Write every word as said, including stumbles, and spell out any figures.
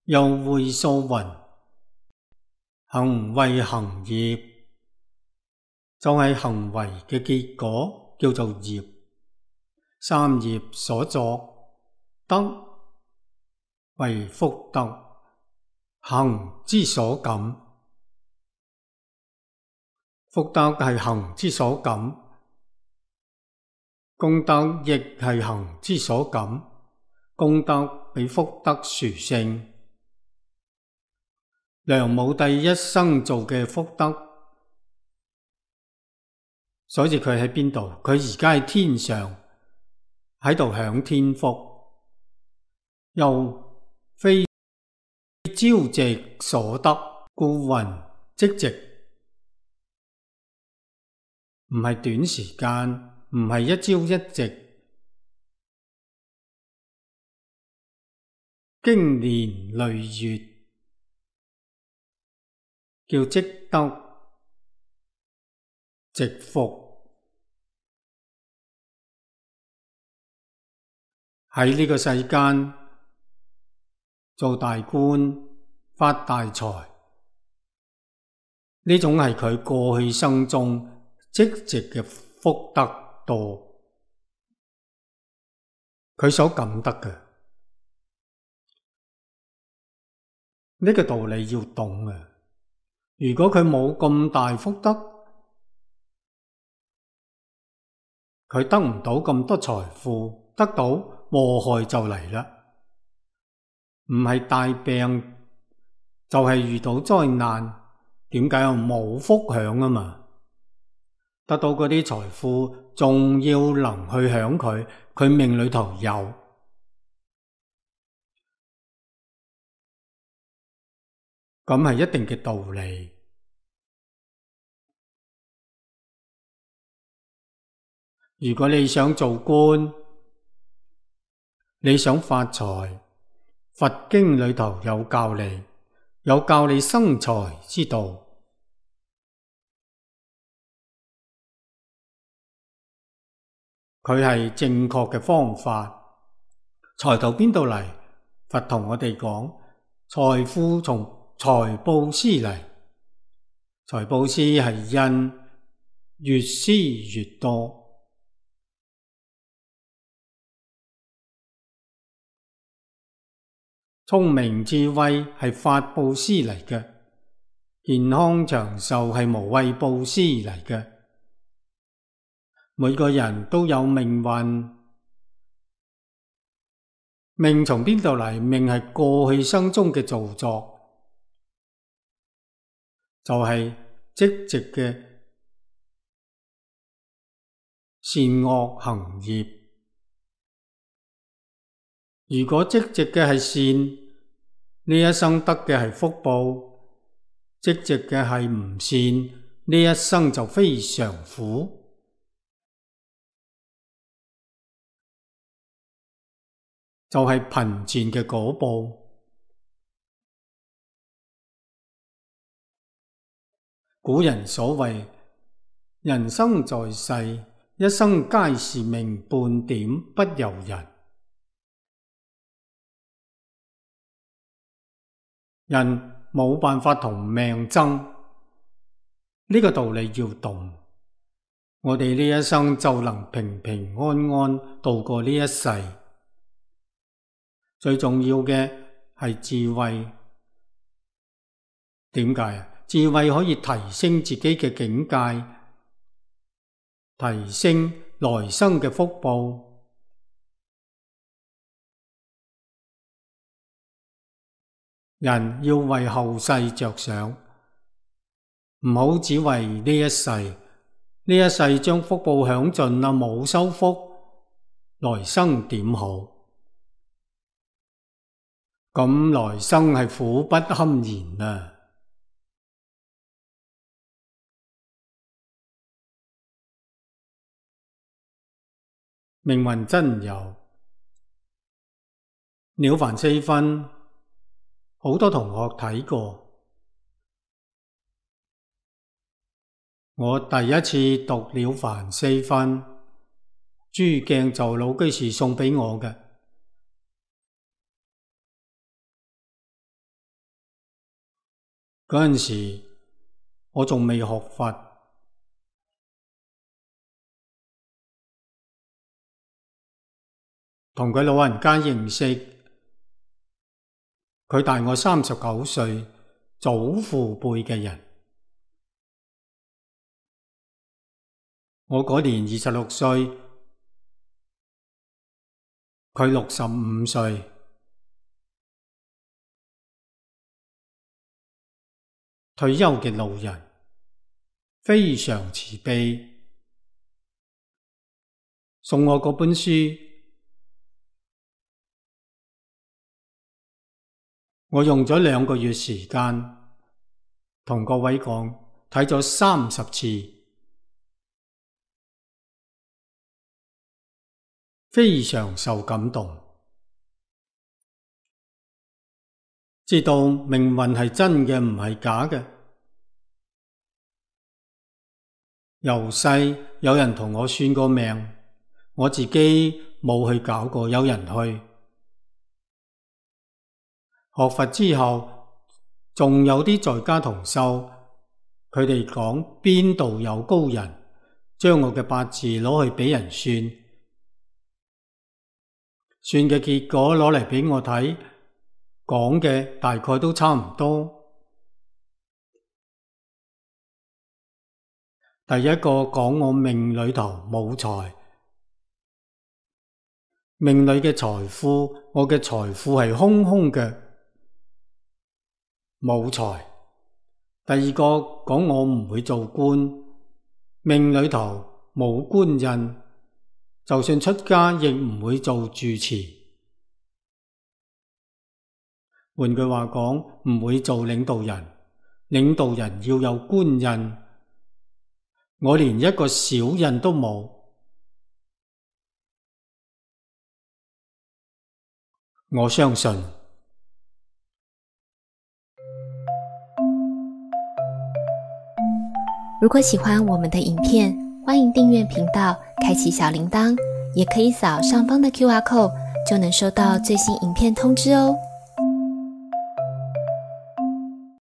又會數云：行為行業，就係行為嘅結果，叫做業。三業所作，德為福德，行之所感。福德係行之所感，功德亦係行之所感。功德比福德殊勝。梁武帝一生做嘅福德，所以佢喺邊度？佢而家喺天上，喺度享天福，又非朝夕所得，故云即夕。唔係短時間，唔係一朝一夕，經年累月，叫積德積福。喺呢個世間做大官發大財，呢種係佢過去生中積積嘅福德多，佢所感得嘅。呢個道理要懂啊！如果佢冇咁大福德，佢得唔到咁多財富，得到禍害就嚟啦。唔係大病，就係遇到災難。點解啊？冇福享啊嘛！得到嗰啲財富，仲要能去享佢，佢命裏頭有，咁係一定嘅道理。如果你想做官，你想發財，佛經裏頭有教你，有教你生財之道。佢係正確嘅方法。財到邊度嚟？佛同我哋講，財富從財布施嚟。財布施係因，越施越多。聰明智慧係法布施嚟嘅，健康長壽係無畏布施嚟嘅。每個人都有命運，命從邊度嚟？命係過去生中嘅造作，就係積極嘅善惡行業。如果積極嘅係善，呢一生得嘅係福報；積極嘅係唔善，呢一生就非常苦。就係貧賤嘅果報。古人所謂人生在世，一生皆是命，半點不由人。人冇辦法同命爭，呢個道理要懂。我哋呢一生就能平平安安度過呢一世。最重要嘅係智慧。點解啊？智慧可以提升自己嘅境界，提升來生嘅福報。人要為後世着想，唔好只為呢一世。呢一世將福報享盡啦，冇收福，來生點好？咁來生係苦不堪言啊！命運真有《了凡四訓》，好多同學睇過。我第一次讀《了凡四訓》，朱鏡就老居士送畀我嘅。嗰陣時我仲未學佛，同佢老人家認識，佢大我三十九歲，祖父輩嘅人。我嗰年二十六歲，佢六十五歲。退休嘅老人，非常慈悲，送我嗰本書，我用咗兩個月時間，同各位講，睇咗三十次。非常受感動，知道命運係真嘅，唔係假嘅。由細有人同我算過命，我自己冇去搞過，有人去。學佛之後，仲有啲在家同修，佢哋講邊度有高人，將我嘅八字攞去畀人算。算嘅結果攞嚟畀我睇，講嘅大概都差唔多。第一個講我命裏頭冇財，命裏嘅財富，我嘅財富係空空嘅，冇財。第二個講我唔會做官，命裏頭冇官印，就算出家亦唔會做住持，換句話講，唔會做領導人。領導人要有官印，我連一個小印都冇。我相信，如果喜歡我們的影片，歡迎訂閱頻道，開啟小鈴鐺，也可以掃上方的 Q R code，就能收到最新影片通知哦。